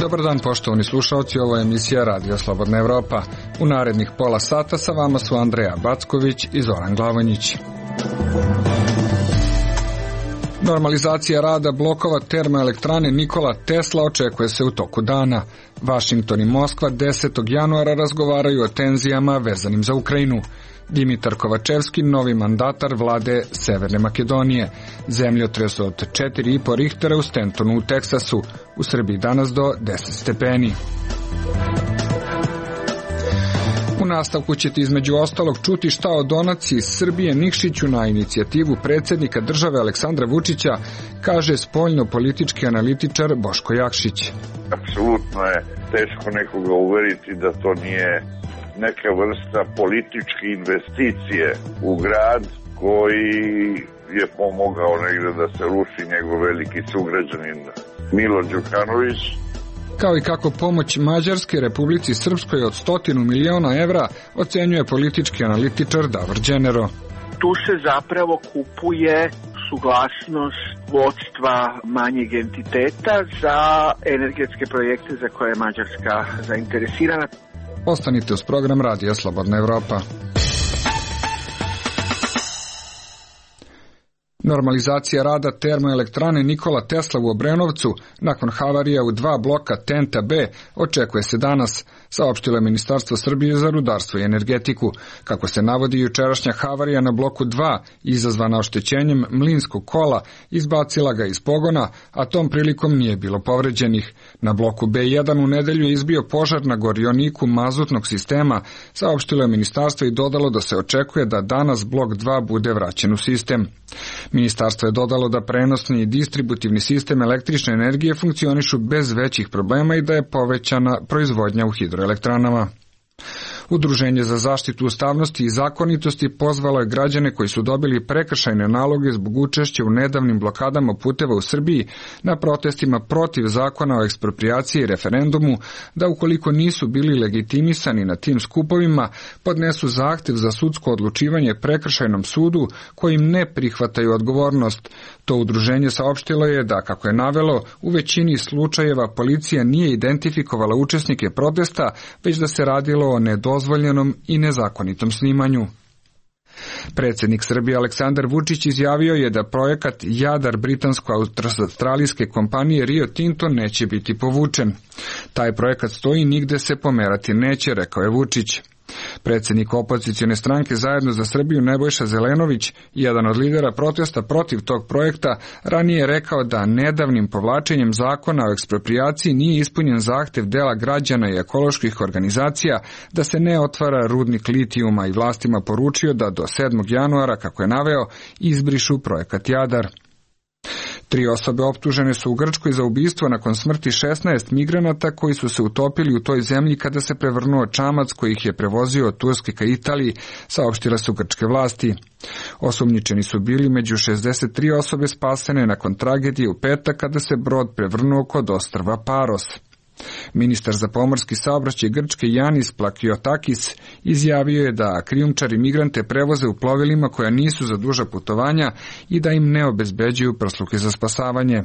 Dobar dan, poštovani slušalci, ovo je emisija Radio Slobodna Evropa. U narednih pola sata sa vama su Andreja Backović i Zoran Glavonjić. Normalizacija rada blokova termoelektrane Nikola Tesla očekuje se u toku dana. Vašington i Moskva 10. januara razgovaraju o tenzijama vezanim za Ukrajinu. Dimitar Kovačevski, novi mandatar vlade Severne Makedonije. Zemljotres od 4,5 Richtera u Stentonu u Teksasu. U Srbiji danas do 10 stepeni. U nastavku ćete između ostalog čuti šta o donaciji Srbije Nikšiću na inicijativu predsjednika države Aleksandra Vučića, kaže spoljno-politički analitičar Boško Jakšić. Apsolutno je teško nekoga uveriti da to nije neka vrsta političke investicije u grad koji je pomogao negde da se ruši njegov veliki sugrađanin Milo Đukanović. Kao i kako pomoć Mađarske Republici Srpskoj od 100 miliona evra ocenjuje politički analitičar Davor Đenero. Tu se zapravo kupuje suglasnost vodstva manjeg entiteta za energetske projekte za koje je Mađarska zainteresirana. Ostanite uz program Radija Slobodna Evropa. Normalizacija rada termoelektrane Nikola Tesla u Obrenovcu nakon havarija u 2 bloka TENT-a B očekuje se danas, saopštilo je Ministarstvo Srbije za rudarstvo i energetiku. Kako se navodi, jučerašnja havarija na bloku 2, izazvana oštećenjem mlinskog kola, izbacila ga iz pogona, a tom prilikom nije bilo povređenih. Na bloku B1 u nedelju je izbio požar na gorioniku mazutnog sistema, saopštilo je Ministarstvo i dodalo da se očekuje da danas blok 2 bude vraćen u sistem. Ministarstvo je dodalo da prenosni i distributivni sistem električne energije funkcionišu bez većih problema i da je povećana proizvodnja u hidroelektranama. Udruženje za zaštitu ustavnosti i zakonitosti pozvalo je građane koji su dobili prekršajne naloge zbog učešća u nedavnim blokadama puteva u Srbiji na protestima protiv zakona o eksproprijaciji i referendumu da ukoliko nisu bili legitimisani na tim skupovima podnesu zahtev za sudsko odlučivanje prekršajnom sudu kojim ne prihvataju odgovornost. To udruženje saopštilo je da, kako je navelo, u većini slučajeva policija nije identifikovala učesnike protesta, već da se radilo o nedozvoljenom i nezakonitom snimanju. Predsjednik Srbije Aleksandar Vučić izjavio je da projekat Jadar britansko-australijske kompanije Rio Tinto neće biti povučen. Taj projekat stoji i nigde se pomerati neće, rekao je Vučić. Predsjednik opozicione stranke Zajedno za Srbiju Nebojša Zelenović, jedan od lidera protesta protiv tog projekta, ranije je rekao da nedavnim povlačenjem zakona o eksproprijaciji nije ispunjen zahtev dela građana i ekoloških organizacija da se ne otvara rudnik litijuma i vlastima poručio da do 7. januara, kako je naveo, izbrišu projekat Jadar. 3 osobe optužene su u Grčkoj za ubistvo nakon smrti 16 migranata koji su se utopili u toj zemlji kada se prevrnuo čamac koji ih je prevozio od Turske ka Italiji, saopštile su grčke vlasti. Osumnjičeni su bili među 63 osobe spasene nakon tragedije u petak kada se brod prevrnuo kod ostrva Paros. Ministar za pomorski saobraćaj Grčke Janis Plakiotakis izjavio je da krijumčari migrante prevoze u plovilima koja nisu za duža putovanja i da im ne obezbeđuju prsluke za spasavanje.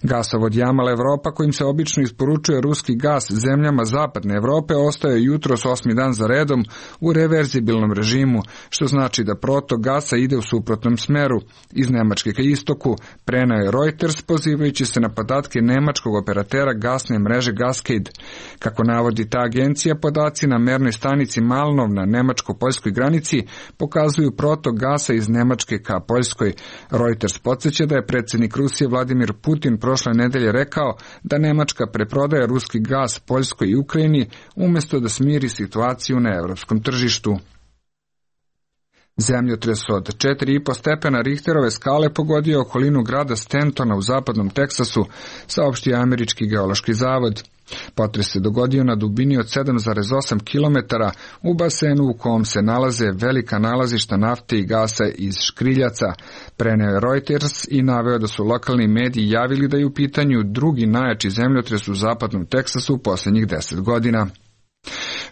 Gasovod Jamal Evropa, kojim se obično isporučuje ruski gas zemljama zapadne Evrope, ostaje jutros 8. dan za redom u reverzibilnom režimu, što znači da protok gasa ide u suprotnom smeru, iz Nemačke ka istoku, preneo je Reuters pozivajući se na podatke nemačkog operatera gasne mreže Gascade. Kako navodi ta agencija, podaci na mernoj stanici Malnov na nemačko-poljskoj granici pokazuju protok gasa iz Nemačke ka Poljskoj. Reuters podsjeća da je predsjednik Rusije Vladimir Putin prošle nedelje rekao da Nemačka preprodaje ruski gas Poljskoj i Ukrajini umjesto da smiri situaciju na evropskom tržištu. Zemljotres od 4,5 stepena Richterove skale pogodio okolinu grada Stentona u zapadnom Teksasu, saopštio Američki geološki zavod. Potres se dogodio na dubini od 7,8 km u basenu u kom se nalaze velika nalazišta nafte i gasa iz škriljaca, preneo je Reuters i naveo da su lokalni mediji javili da je u pitanju drugi najjači zemljotres u zapadnom Teksasu u posljednjih 10 godina.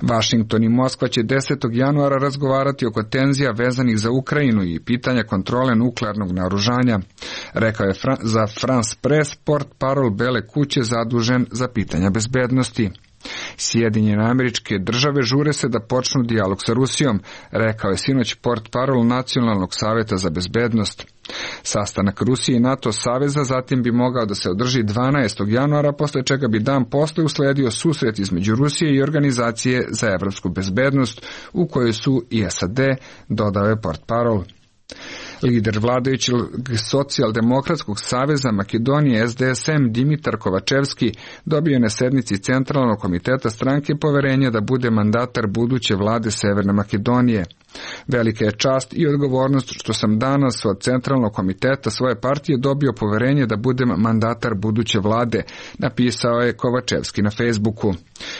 Vašington i Moskva će 10. januara razgovarati oko tenzija vezanih za Ukrajinu i pitanja kontrole nuklearnog naoružanja, rekao je za France Press portparol Bele kuće zadužen za pitanja bezbednosti. Sjedinjene Američke Države žure se da počnu dijalog sa Rusijom, rekao je sinoć portparol Nacionalnog saveta za bezbednost. Sastanak Rusije i NATO saveza zatim bi mogao da se održi 12. januara, posle čega bi dan posle usledio susret između Rusije i Organizacije za evropsku bezbednost, u kojoj su i SAD, dodao je portparol. Lider vladajućeg socijaldemokratskog saveza Makedonije SDSM Dimitar Kovačevski dobio na sednici Centralnog komiteta stranke poverenje da bude mandatar buduće vlade Severne Makedonije. Velika je čast i odgovornost što sam danas od Centralnog komiteta svoje partije dobio poverenje da budem mandatar buduće vlade, napisao je Kovačevski na Facebooku.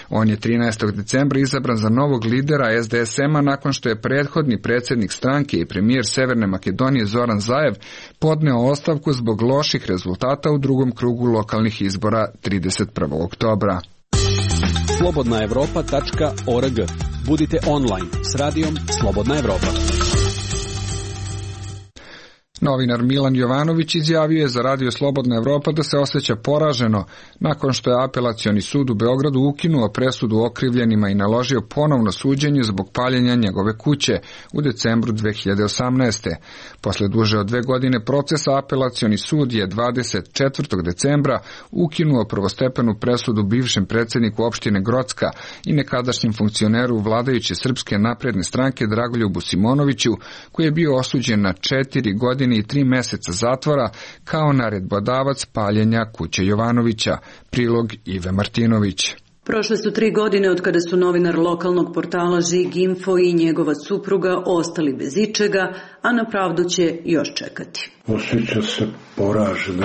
On je 13. decembra izabran za novog lidera SDSM-a nakon što je prethodni predsjednik stranke i premijer Severne Makedonije Zoran Zaev podneo ostavku zbog loših rezultata u drugom krugu lokalnih izbora 31. oktobra. slobodnaevropa.org. Budite online s radijom Slobodna Evropa. Novinar Milan Jovanović izjavio je za radio Slobodna Evropa da se osjeća poraženo nakon što je Apelacioni sud u Beogradu ukinuo presudu okrivljenima i naložio ponovno suđenje zbog paljenja njegove kuće u decembru 2018. Posle duže od 2 godine procesa Apelacioni sud je 24. decembra ukinuo prvostepenu presudu bivšem predsjedniku opštine Grocka i nekadašnjem funkcioneru vladajuće Srpske napredne stranke Dragoljubu Simonoviću, koji je bio osuđen na 4 godine i 3 meseca zatvora kao naredbodavac paljenja kuće Jovanovića. Prilog Ive Martinović. Prošle su 3 godine od kada su novinar lokalnog portala Žig Info i njegova supruga ostali bez ičega, a na pravdu će još čekati. Osjeća se poraženo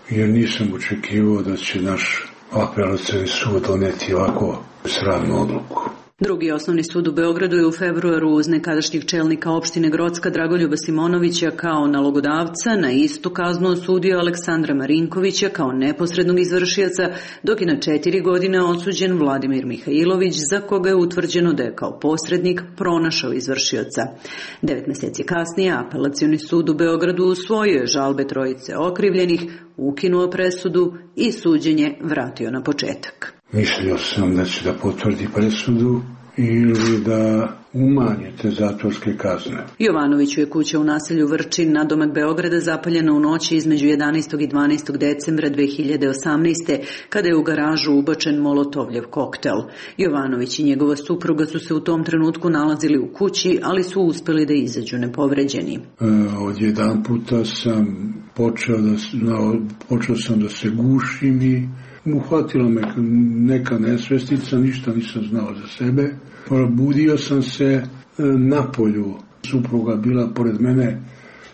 jer nisam očekivao da će naš apelacioni sud doneti ovako sramnu odluku. Drugi osnovni sud u Beogradu je u februaru uz nekadašnjeg čelnika opštine Grocka Dragoljuba Simonovića kao nalogodavca na istu kaznu osudio Aleksandra Marinkovića kao neposrednog izvršioca, dok je na 4 godine osuđen Vladimir Mihajlović, za koga je utvrđeno da je kao posrednik pronašao izvršioca. 9 meseci kasnije Apelacioni sud u Beogradu usvojio je žalbe trojice okrivljenih, ukinuo presudu i suđenje vratio na početak. Mislio sam da će da potvrdi presudu ili da umanje te zatvorske kazne. Jovanoviću je kuća u naselju Vrčin, nadomak Beograda, zapaljena u noći između 11. i 12. decembra 2018. kada je u garažu ubačen molotovljev koktel. Jovanović i njegova supruga su se u tom trenutku nalazili u kući, ali su uspeli da izađu nepovređeni. Odjedan puta sam počeo sam da se gušim i uhvatila me neka nesvestica, ništa nisam znao za sebe. Probudio sam se na polju. Supruga bila pored mene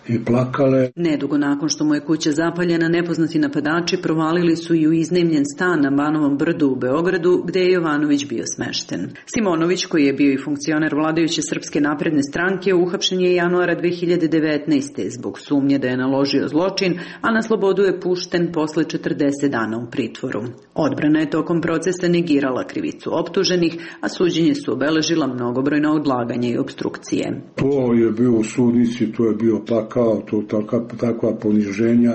i plakale. Nedugo nakon što mu je kuća zapaljena, nepoznati napadači provalili su i u iznajmljen stan na Banovom brdu u Beogradu, gde je Jovanović bio smešten. Simonović, koji je bio i funkcioner vladajuće Srpske napredne stranke, uhapšen je januara 2019. zbog sumnje da je naložio zločin, a na slobodu je pušten posle 40 dana u pritvoru. Odbrana je tokom procesa negirala krivicu optuženih, a suđenje su obeležila mnogobrojna odlaganja i obstrukcije. To je bio u sudnici, to je bio pakao, takva poniženja,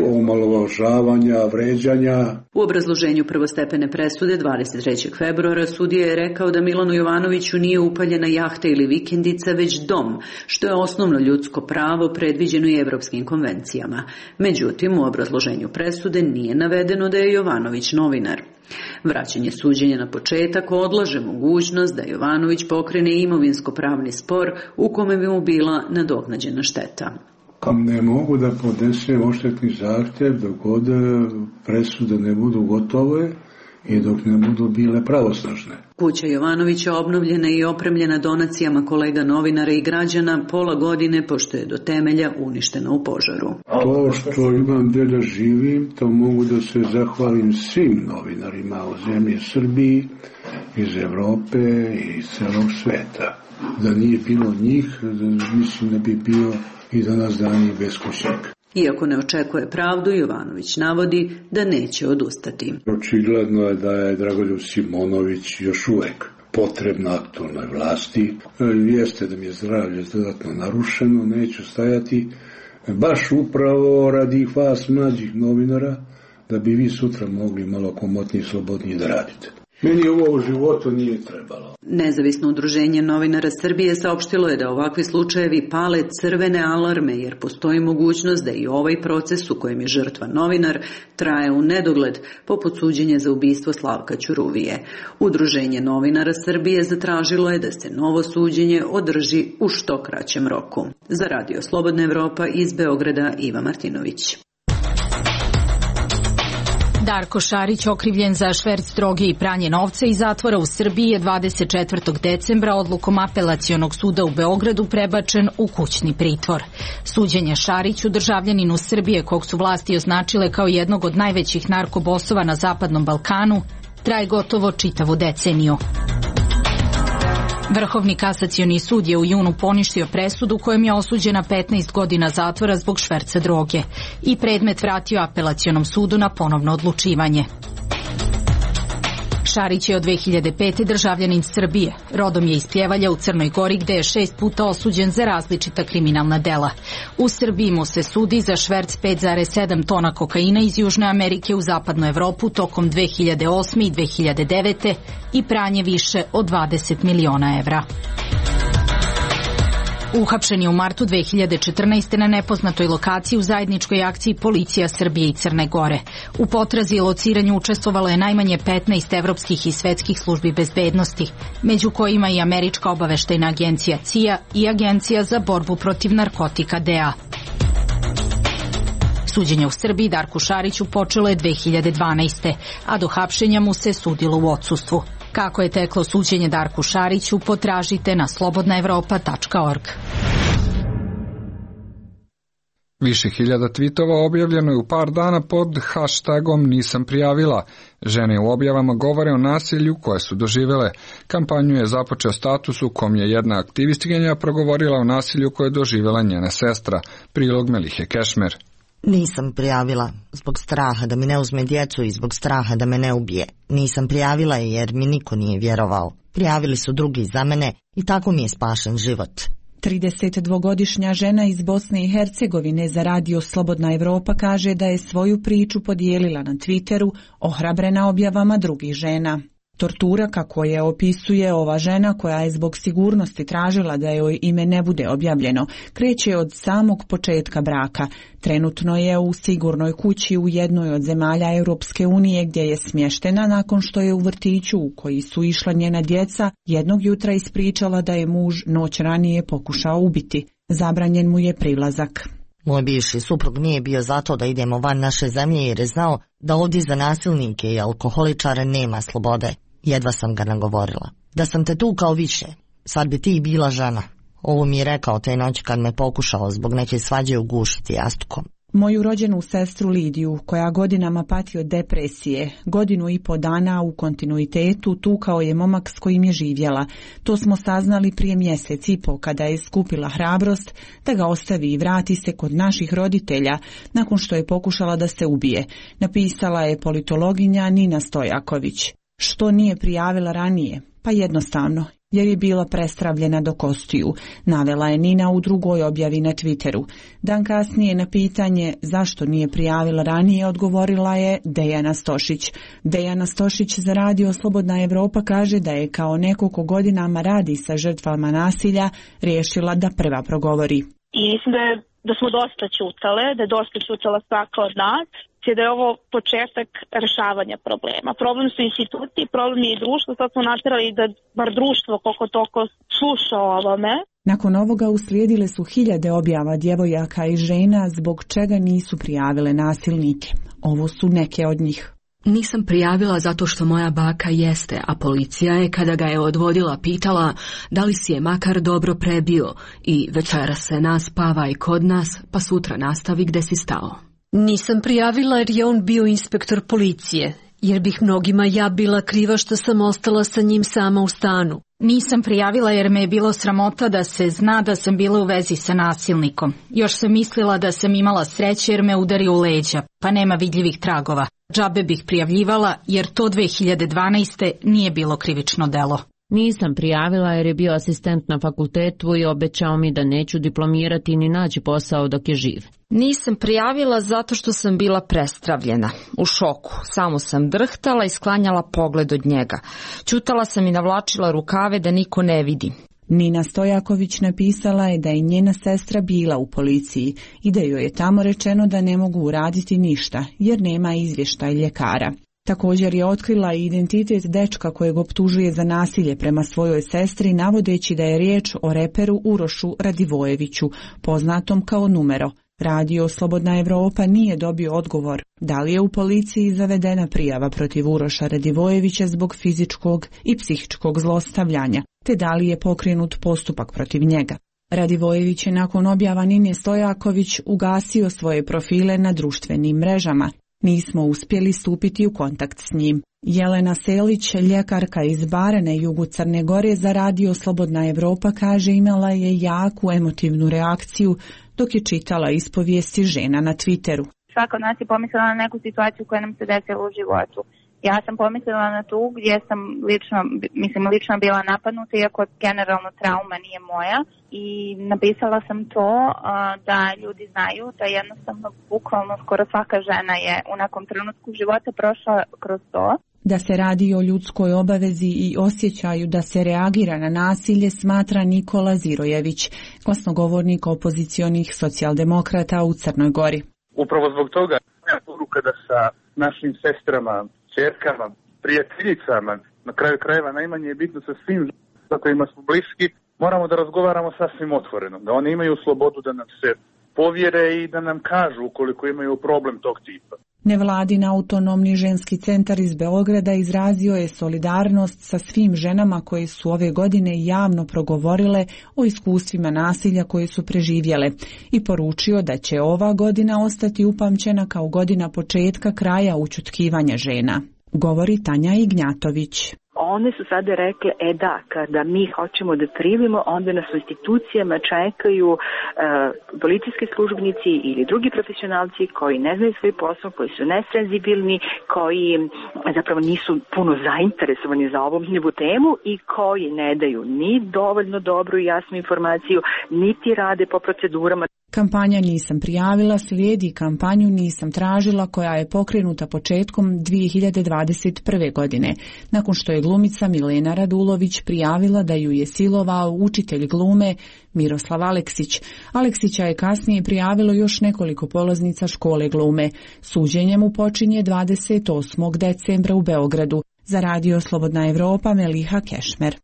omalovažavanja, vređanja. U obrazloženju prvostepene presude 23. februara sudija je rekao da Milanu Jovanoviću nije upaljena jahta ili vikendica, već dom, što je osnovno ljudsko pravo predviđeno i evropskim konvencijama. Međutim, u obrazloženju presude nije navedeno da je Jovanović novinar. Vraćanje suđenja na početak odlaže mogućnost da Jovanović pokrene imovinsko-pravni spor u kome bi mu bila nadoknađena šteta. Ne mogu da podnesem odštetni zahtjev dok god presude ne budu gotove i dok ne budu bile pravosnažne. Kuća Jovanovića obnovljena i opremljena donacijama kolega novinara i građana pola godine, pošto je do temelja uništena u požaru. To što imam gde da živim, to mogu da se zahvalim svim novinarima u zemlji Srbiji, iz Evrope i iz celog sveta. Da nije bilo njih, mislim da bi bio i danas dan i beskućnik. Iako ne očekuje pravdu, Jovanović navodi da neće odustati. Očigledno je da je Dragoljub Simonović još uvek potrebna aktualnoj vlasti. Jeste da mi je zdravlje dodatno narušeno, neću stajati baš upravo radi vas mlađih novinara, da bi vi sutra mogli malo komotnije i slobodnije da radite. Meni ovo u životu nije trebalo. Nezavisno udruženje novinara Srbije saopštilo je da ovakvi slučajevi pale crvene alarme, jer postoji mogućnost da i ovaj proces u kojem je žrtva novinar traje u nedogled, poput suđenja za ubistvo Slavka Ćuruvije. Udruženje novinara Srbije zatražilo je da se novo suđenje održi u što kraćem roku. Za Radio Slobodna Evropa iz Beograda, Iva Martinović. Darko Šarić, okrivljen za šverc droge i pranje novca iz zatvora u Srbiji, je 24. decembra odlukom Apelacionog suda u Beogradu prebačen u kućni pritvor. Suđenje Šariću, državljaninu Srbije kog su vlasti označile kao jednog od najvećih narkobosova na Zapadnom Balkanu, traje gotovo čitavu deceniju. Vrhovni kasacioni sud je u junu poništio presudu kojom je osuđena 15 godina zatvora zbog šverca droge i predmet vratio Apelacionom sudu na ponovno odlučivanje. Šarić je od 2005. državljanin Srbije. Rodom je iz Pljevalja u Crnoj Gori, gde je 6 puta osuđen za različita kriminalna dela. U Srbiji mu se sudi za šverc 5,7 tona kokaina iz Južne Amerike u Zapadnu Evropu tokom 2008. i 2009. i pranje više od 20 miliona evra. Uhapšen je u martu 2014. na nepoznatoj lokaciji u zajedničkoj akciji Policija Srbije i Crne Gore. U potrazi i lociranju učestvovalo je najmanje 15 evropskih i svetskih službi bezbednosti, među kojima i Američka obaveštajna agencija CIA i Agencija za borbu protiv narkotika DEA. Suđenje u Srbiji Darku Šariću počelo je 2012. a do hapšenja mu se sudilo u odsustvu. Kako je teklo suđenje Darku Šariću, potražite na slobodnaevropa.org. Više hiljada tvitova objavljeno je u par dana pod hashtagom Nisam prijavila. Žene u objavama govore o nasilju koje su doživele. Kampanju je započeo status u kom je jedna aktivistkinja progovorila o nasilju koje je doživela njena sestra. Prilog Melihe Kešmer. Nisam prijavila zbog straha da mi ne uzme djecu i zbog straha da me ne ubije. Nisam prijavila jer mi niko nije vjerovao. Prijavili su drugi za mene i tako mi je spašen život. 32-godišnja žena iz Bosne i Hercegovine za Radio Slobodna Evropa kaže da je svoju priču podijelila na Twitteru, ohrabrena objavama drugih žena. Tortura, kako je opisuje ova žena koja je zbog sigurnosti tražila da joj ime ne bude objavljeno, kreće od samog početka braka. Trenutno je u sigurnoj kući u jednoj od zemalja Europske unije gdje je smještena nakon što je u vrtiću u koji su išla njena djeca jednog jutra ispričala da je muž noć ranije pokušao ubiti. Zabranjen mu je prilazak. Moj bivši suprug nije bio zato da idemo van naše zemlje jer je znao da ovdje za nasilnike i alkoholičare nema slobode. Jedva sam ga nagovorila. Da sam te tukao više, sad bi ti bila žena. Ovo mi je rekao te noći kad me pokušao zbog neke svađe ugušiti jastukom. Moju rođenu sestru Lidiju, koja godinama pati od depresije, 1,5 dana u kontinuitetu tukao je momak s kojim je živjela. To smo saznali prije 1,5 mjeseca kada je skupila hrabrost da ga ostavi i vrati se kod naših roditelja nakon što je pokušala da se ubije, napisala je politologinja Nina Stojaković. Što nije prijavila ranije? Pa jednostavno, jer je bila prestravljena do kostiju, navela je Nina u drugoj objavi na Twitteru. Dan kasnije na pitanje zašto nije prijavila ranije odgovorila je Dejana Stošić. Dejana Stošić za Radio Slobodna Evropa kaže da je kao neko ko godinama radi sa žrtvama nasilja riješila da prva progovori. I mislim da smo dosta ćutale, da je dosta ćutala svaka od nas, da je ovo početak rešavanja problema. Problem su institucije, problem je i društvo, sad smo natjerali da bar društvo koliko toliko sluša o ovome. Nakon ovoga uslijedile su 1000 objava djevojaka i žena zbog čega nisu prijavile nasilnike. Ovo su neke od njih. Nisam prijavila zato što moja baka jeste, a policija je kada ga je odvodila pitala da li si je makar dobro prebio i večera se naspavaj kod nas pa sutra nastavi gde si stao. Nisam prijavila jer je on bio inspektor policije, jer bih mnogima ja bila kriva što sam ostala sa njim sama u stanu. Nisam prijavila jer me je bilo sramota da se zna da sam bila u vezi sa nasilnikom. Još sam mislila da sam imala sreće jer me udario u leđa, pa nema vidljivih tragova. Džabe bih prijavljivala jer to 2012. nije bilo krivično delo. Nisam prijavila jer je bio asistent na fakultetu i obećao mi da neću diplomirati ni naći posao dok je živ. Nisam prijavila zato što sam bila prestravljena, u šoku. Samo sam drhtala i sklanjala pogled od njega. Ćutala sam i navlačila rukave da niko ne vidi. Nina Stojaković napisala je da je njena sestra bila u policiji i da joj je tamo rečeno da ne mogu uraditi ništa jer nema izvještaj ljekara. Također je otkrila i identitet dečka kojeg optužuje za nasilje prema svojoj sestri, navodeći da je riječ o reperu Urošu Radivojeviću, poznatom kao Numero. Radio Slobodna Evropa nije dobio odgovor da li je u policiji zavedena prijava protiv Uroša Radivojevića zbog fizičkog i psihičkog zlostavljanja, te da li je pokrenut postupak protiv njega. Radivojević je nakon objava Nine Stojaković ugasio svoje profile na društvenim mrežama. Nismo uspjeli stupiti u kontakt s njim. Jelena Selić, ljekarka iz Bare na jugu Crne Gore za Radio Slobodna Evropa, kaže imala je jaku emotivnu reakciju dok je čitala ispovijesti žena na Twitteru. Svaka od nas je pomislila na neku situaciju koja nam se desila u životu. Ja sam pomislila na tu gdje sam lično bila napadnuta, iako generalno trauma nije moja, i napisala sam to da ljudi znaju da jednostavno bukvalno skoro svaka žena je u nekom trenutku života prošla kroz to. Da se radi o ljudskoj obavezi i osjećaju da se reagira na nasilje, smatra Nikola Zirojević, glasnogovornik opozicionih socijaldemokrata u Crnoj Gori. Upravo zbog toga je poruka da sa našim sestrama, ćerkama, prijateljicama, na kraju krajeva najmanje je bitno sa svim za kojima smo bliski, moramo da razgovaramo sasvim otvoreno, da oni imaju slobodu da nam se povjere i da nam kažu ukoliko imaju problem tog tipa. Nevladin autonomni ženski centar iz Beograda izrazio je solidarnost sa svim ženama koje su ove godine javno progovorile o iskustvima nasilja koje su preživjele i poručio da će ova godina ostati upamćena kao godina početka kraja ućutkivanja žena. Govori Tanja Ignjatović. One su sada rekle, da, kada mi hoćemo da primimo, onda nas u institucijama čekaju policijski službenici ili drugi profesionalci koji ne znaju svoj posao, koji su nesenzibilni, koji zapravo nisu puno zainteresovani za ovu temu i koji ne daju ni dovoljno dobru i jasnu informaciju, niti rade po procedurama. Kampanja Nisam prijavila slijedi kampanju Nisam tražila koja je pokrenuta početkom 2021. godine, nakon što je glumica Milena Radulović prijavila da ju je silovao učitelj glume Miroslav Aleksić. Aleksića je kasnije prijavilo još nekoliko polaznica škole glume. Suđenje mu počinje 28. decembra u Beogradu. Za Radio Slobodna Evropa Meliha Kešmer.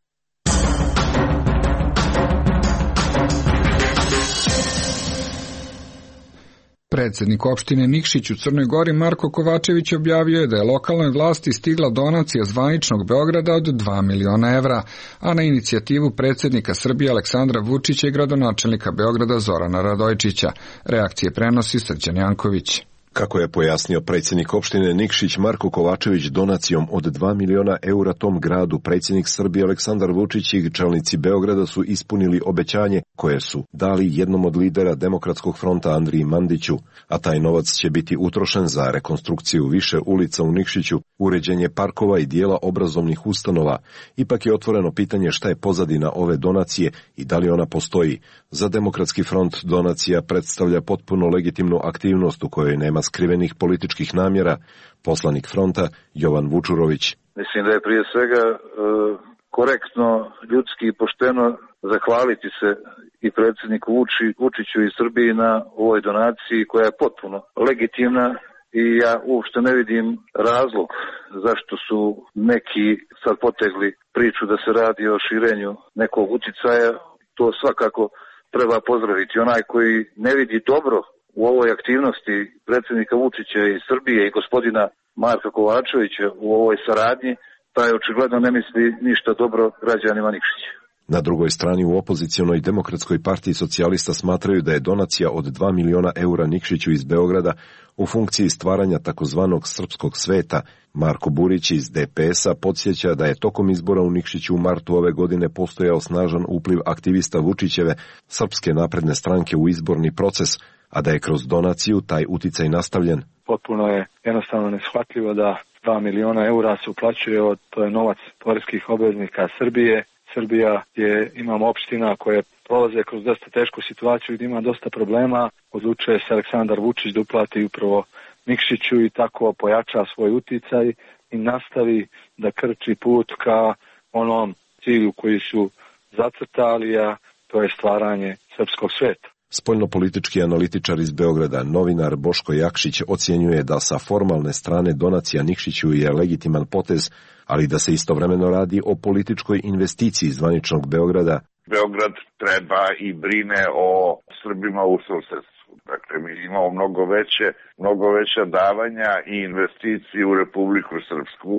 Predsjednik opštine Nikšić u Crnoj Gori Marko Kovačević objavio je da je lokalnoj vlasti stigla donacija zvaničnog Beograda od 2 miliona evra, a na inicijativu predsjednika Srbije Aleksandra Vučića i gradonačelnika Beograda Zorana Radojčića. Reakcije prenosi Srđan Janković. Kako je pojasnio predsjednik opštine Nikšić Marko Kovačević, donacijom od 2 miliona eura tom gradu predsjednik Srbije Aleksandar Vučić i čelnici Beograda su ispunili obećanje koje su dali jednom od lidera Demokratskog fronta Andriji Mandiću, a taj novac će biti utrošen za rekonstrukciju više ulica u Nikšiću, uređenje parkova i dijela obrazovnih ustanova. Ipak je otvoreno pitanje šta je pozadina ove donacije i da li ona postoji. Za Demokratski front donacija predstavlja potpuno legitimnu aktivnost u kojoj nema skrivenih političkih namjera. Poslanik fronta Jovan Vučurović. Mislim da je prije svega korektno, ljudski i pošteno zahvaliti se i predsjedniku Vučiću i Srbiji na ovoj donaciji koja je potpuno legitimna i ja uopšte ne vidim razlog zašto su neki sad potegli priču da se radi o širenju nekog uticaja. To svakako treba pozdraviti. Onaj koji ne vidi dobro u ovoj aktivnosti predsjednika Vučića i Srbije i gospodina Marka Kovačevića u ovoj saradnji, taj očigledno ne misli ništa dobro građanima Nikšića. Na drugoj strani u opozicionoj Demokratskoj partiji socijalista smatraju da je donacija od 2 miliona eura Nikšiću iz Beograda u funkciji stvaranja takozvanog srpskog sveta. Marko Burić iz DPS-a podsjeća da je tokom izbora u Nikšiću u martu ove godine postojao snažan upliv aktivista Vučićeve Srpske napredne stranke u izborni proces, a da je kroz donaciju taj uticaj nastavljen. Potpuno je jednostavno neshvatljivo da 2 miliona eura se uplaćuje, to je novac poreskih obveznika Srbije. Srbija imamo opština koje prolaze kroz dosta tešku situaciju i ima dosta problema. Odlučuje se Aleksandar Vučić da uplati upravo Nikšiću i tako pojača svoj uticaj i nastavi da krči put ka onom cilju koji su zacrtali, a to je stvaranje srpskog sveta. Spoljnopolitički analitičar iz Beograda, novinar Boško Jakšić, ocjenjuje da sa formalne strane donacija Nikšiću je legitiman potez, ali da se istovremeno radi o političkoj investiciji zvaničnog Beograda. Beograd treba i brine o Srbima u susedstvu. Dakle, mi imamo mnogo veća davanja i investicije u Republiku Srpsku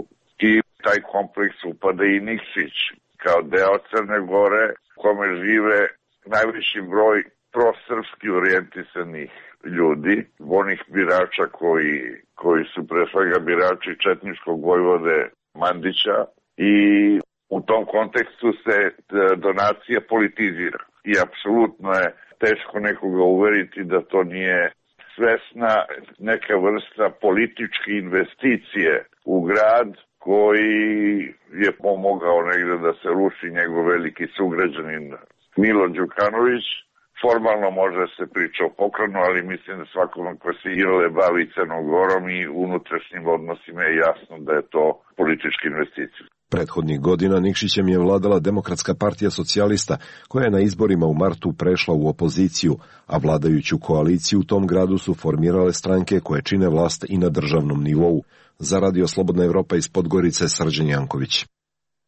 i taj kompleks upada i Nikšić kao deo Crne Gore, u kome žive najveći broj prosrpski orijentisanih ljudi, onih birača koji su pre svega birači četničkog vojvode Mandića, i u tom kontekstu se donacija politizira. I apsolutno je teško nekoga uveriti da to nije svesna neka vrsta političke investicije u grad koji je pomogao negde da se ruši njegov veliki sugrađanin Milo Đukanović. Formalno može se priča o poklonu, ali mislim da svakome ko se iole bavi Crnom Gorom i unutrašnjim odnosima je jasno da je to politička investicija. Prethodnih godina Nikšićem je vladala Demokratska partija socijalista, koja je na izborima u martu prešla u opoziciju, a vladajuću koaliciju u tom gradu su formirale stranke koje čine vlast i na državnom nivou. Za Radio Slobodna Evropa iz Podgorice, Srđan Janković.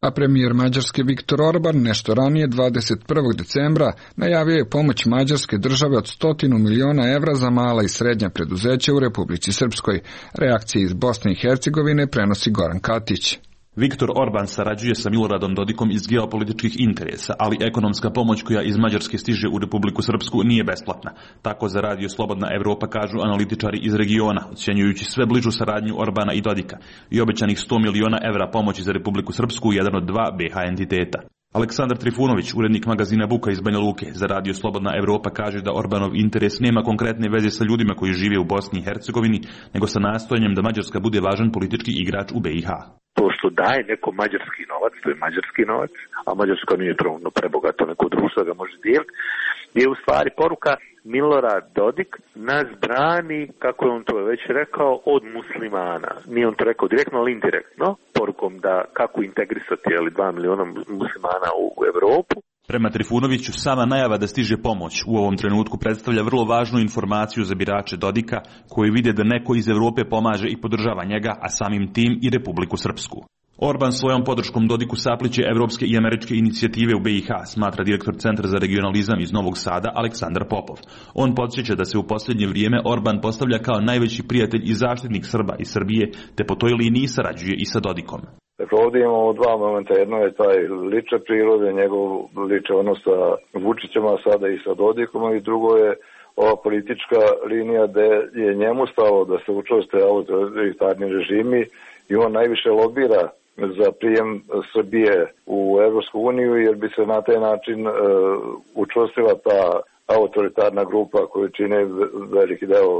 A premijer Mađarske Viktor Orban nešto ranije 21. decembra najavio je pomoć Mađarske države od 100 miliona evra za mala i srednja preduzeća u Republici Srpskoj. Reakcije iz Bosne i Hercegovine prenosi Goran Katić. Viktor Orban sarađuje sa Miloradom Dodikom iz geopolitičkih interesa, ali ekonomska pomoć koja iz Mađarske stiže u Republiku Srpsku nije besplatna. Tako za Radio Slobodna Evropa kažu analitičari iz regiona, ocjenjujući sve bližu saradnju Orbana i Dodika i obećanih 100 miliona evra pomoći za Republiku Srpsku, jedan od dva BH entiteta. Aleksandar Trifunović, urednik magazina Buka iz Banja Luke, za Radio Slobodna Evropa kaže da Orbanov interes nema konkretne veze sa ljudima koji žive u Bosni i Hercegovini, nego sa nastojanjem da Mađarska bude važan politički igrač u BiH. To što daje neko mađarski novac, to je mađarski novac, a Mađarska nije prebogato neko društvo da ga može dijeliti, je u stvari poruka Milorad Dodik nas brani, kako je on to već rekao, od muslimana. Nije on to rekao direktno, ali indirektno, porukom da kako integrisati 2 miliona muslimana u Evropu. Prema Trifunoviću, sama najava da stiže pomoć u ovom trenutku predstavlja vrlo važnu informaciju za birače Dodika, koji vide da neko iz Evrope pomaže i podržava njega, a samim tim i Republiku Srpsku. Orban svojom podrškom Dodiku sapliće evropske i američke inicijative u BiH, smatra direktor Centra za regionalizam iz Novog Sada Aleksandar Popov. On podsjeća da se u posljednje vrijeme Orban postavlja kao najveći prijatelj i zaštitnik Srba i Srbije, te po toj liniji sarađuje i sa Dodikom. Dakle, ovdje imamo dva momenta. Jedno je taj liče prirode, njegov liče odnos sa Vučićem, a sada i sa Dodikom, i drugo je ova politička linija gde je njemu stalo da se učvrste autoritarni režimi i on najviše lobira za prijem Srbije u Evropsku uniju, jer bi se na taj način učvrstila ta autoritarna grupa koju čine veliki deo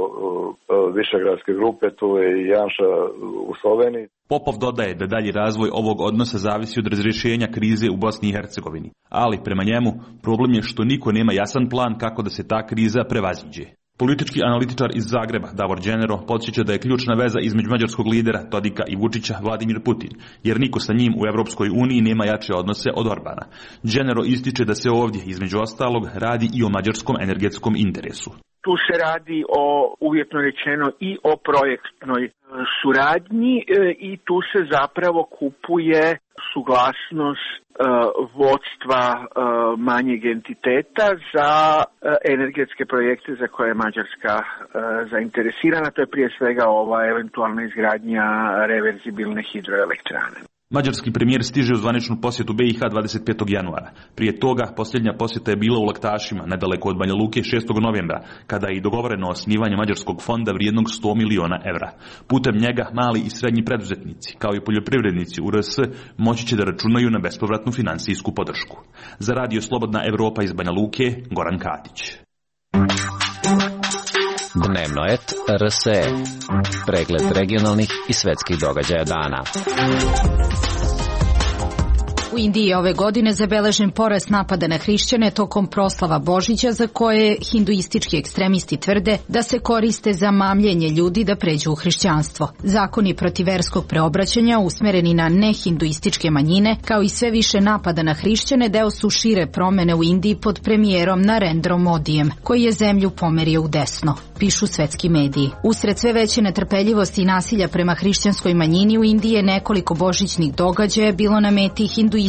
višegradske grupe, tu je i Janša u Sloveniji. Popov dodaje da dalji razvoj ovog odnosa zavisi od razrješenja krize u Bosni i Hercegovini, ali prema njemu problem je što niko nema jasan plan kako da se ta kriza prevaziđe. Politički analitičar iz Zagreba, Davor Đenero, podsjeća da je ključna veza između mađarskog lidera Dodika i Vučića Vladimir Putin, jer niko sa njim u Evropskoj uniji nema jače odnose od Orbana. Đenero ističe da se ovdje, između ostalog, radi i o mađarskom energetskom interesu. Tu se radi o, uvjetno rečeno, i o projektnoj suradnji i tu se zapravo kupuje suglasnost vodstva manjeg entiteta za energetske projekte za koje je Mađarska zainteresirana. To je prije svega ova eventualna izgradnja reverzibilne hidroelektrane. Mađarski premijer stiže u zvaničnu posjetu BiH 25. januara. Prije toga posljednja posjeta je bila u Laktašima, nedaleko od Banja Luke, 6. novembra, kada je i dogovoreno osnivanje mađarskog fonda vrijednog 100 miliona evra. Putem njega mali i srednji preduzetnici, kao i poljoprivrednici u RS, moći će da računaju na bespovratnu finansijsku podršku. Za Radio Slobodna Evropa iz Banja Luke, Goran Katić. Dnevnoet RSE. Pregled regionalnih i svetskih događaja dana. U Indiji je ove godine zabeležen porast napada na hrišćane tokom proslava Božića, za koje hinduistički ekstremisti tvrde da se koriste za mamljenje ljudi da pređu u hrišćanstvo. Zakoni protiv verskog preobraćanja usmereni na nehinduističke manjine, kao i sve više napada na hrišćane, deo su šire promene u Indiji pod premijerom Narendrom Modijem, koji je zemlju pomerio u desno, pišu svetski mediji. Usred sve veće netrpeljivosti i nasilja prema hrišćanskoj manjini u Indiji je nekoliko božićnih događaja bilo na meti hinduističkih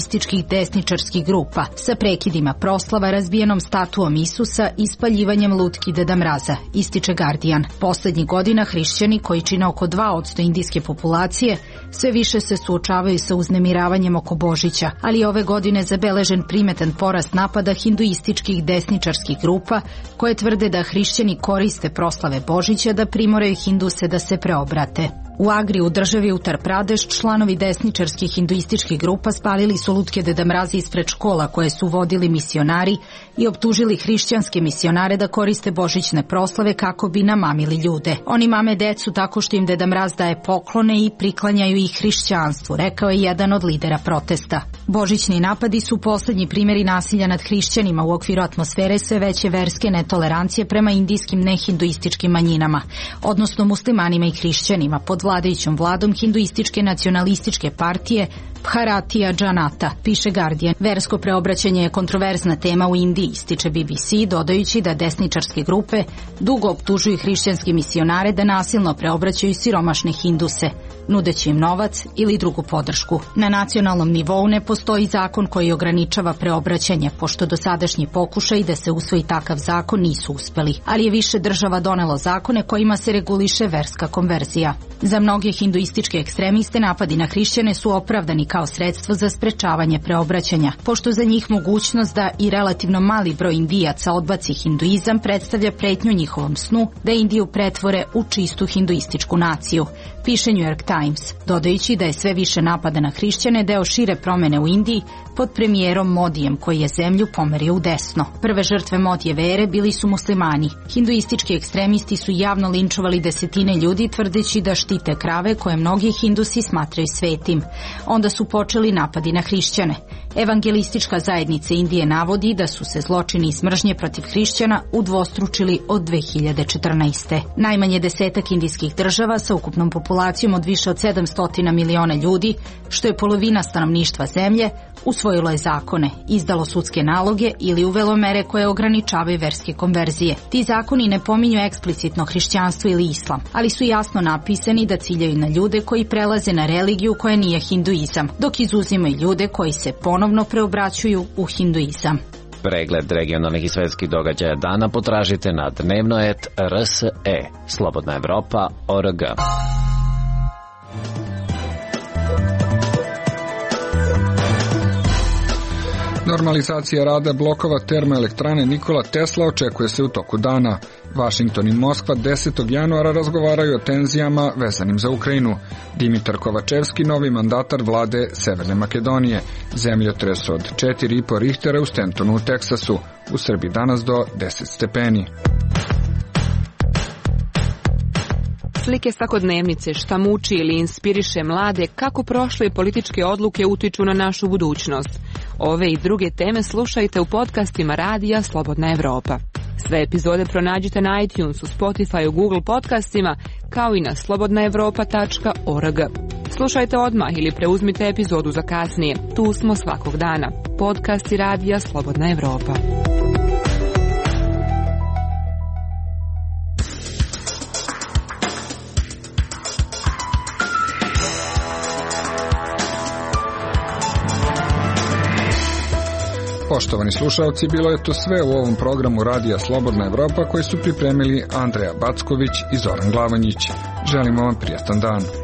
desničarskih grupa, sa prekidima proslava, razbijenom statuom Isusa i spaljivanjem lutki Deda Mraza, ističe Guardian. Poslednjih godina hrišćani, koji čine oko 2% indijske populacije, sve više se suočavaju sa uznemiravanjem oko Božića, ali ove godine zabeležen primetan porast napada hinduističkih desničarskih grupa, koje tvrde da hrišćani koriste proslave Božića da primoraju Hinduse da se preobrate. U Agri, u državi Uttar Pradeš, članovi desničarskih hinduističkih grupa spalili su lutke Deda Mraza ispred škola koje su vodili misionari i optužili hrišćanske misionare da koriste božićne proslave kako bi namamili ljude. Oni mame decu tako što im Deda Mraz daje poklone i priklanjaju ih hrišćanstvu, rekao je jedan od lidera protesta. Božićni napadi su poslednji primjeri nasilja nad hrišćanima u okviru atmosfere sve veće verske netolerancije prema indijskim nehinduističkim manjinama, odnosno muslimanima i hrišćanima pod vladajućom vladom hinduističke nacionalističke partije Bharatiya Janata, piše Guardian. Versko preobraćanje je kontroverzna tema u Indiji, ističe BBC, dodajući da desničarske grupe dugo optužuju hrišćanske misionare da nasilno preobraćaju siromašne Hinduse, nudeći im novac ili drugu podršku. Na nacionalnom nivou ne postoji zakon koji ograničava preobraćanje, pošto dosadašnji pokušaj da se usvoji takav zakon nisu uspeli, ali je više država donelo zakone kojima se reguliše verska konverzija. Za mnoge hinduističke ekstremiste napadi na hrišćane su opravdani kao sredstvo za sprečavanje preobraćanja, pošto za njih mogućnost da i relativno mali broj Indijaca odbaci hinduizam predstavlja pretnju njihovom snu da Indiju pretvore u čistu hinduističku naciju, piše New York Times, dodajući da je sve više napada na hrišćane deo šire promene u Indiji pod premijerom Modijem, koji je zemlju pomerio u desno. Prve žrtve Modijeve ere bili su muslimani. Hinduistički ekstremisti su javno linčovali desetine ljudi tvrdeći da štite krave koje mnogi Hindusi smatraju svetim. Onda su počeli napadi na hrišćane. Evangelistička zajednica Indije navodi da su se zločini i smržnje protiv hrišćana udvostručili od 2014. Najmanje 10 indijskih država sa ukupnom populacijom od više od 700 miliona ljudi, što je polovina stanovništva zemlje, usvojilo je zakone, izdalo sudske naloge ili uvelo mere koje ograničavaju verske konverzije. Ti zakoni ne pominju eksplicitno hrišćanstvo ili islam, ali su jasno napisani da ciljaju na ljude koji prelaze na religiju koja nije hinduizam, dok izuzimaju ljude koji se ponovno preobraćuju u hinduizam. Pregled regionalnih i svetskih događaja dana potražite na Dnevnoet RSE, Slobodna Evropa.org. Normalizacija rada blokova termoelektrane Nikola Tesla očekuje se u toku dana. Washington i Moskva 10. januara razgovaraju o tenzijama vezanim za Ukrajinu. Dimitar Kovačevski, novi mandatar vlade Severne Makedonije. Zemljotres od 4,5 Richtera u Stentonu u Teksasu. U Srbiji danas do 10 stepeni. Slike svakodnevnice, šta muči ili inspiriše mlade, kako prošle političke odluke utiču na našu budućnost. Ove i druge teme slušajte u podcastima Radija Slobodna Evropa. Sve epizode pronađite na iTunesu, Spotifyu, Google podcastima, kao i na slobodnaevropa.org. Slušajte odmah ili preuzmite epizodu za kasnije. Tu smo svakog dana. Podcasti Radija Slobodna Evropa. Poštovani slušalci, bilo je to sve u ovom programu Radija Slobodna Evropa koji su pripremili Andreja Backović i Zoran Glavanjić. Želimo vam prijatan dan.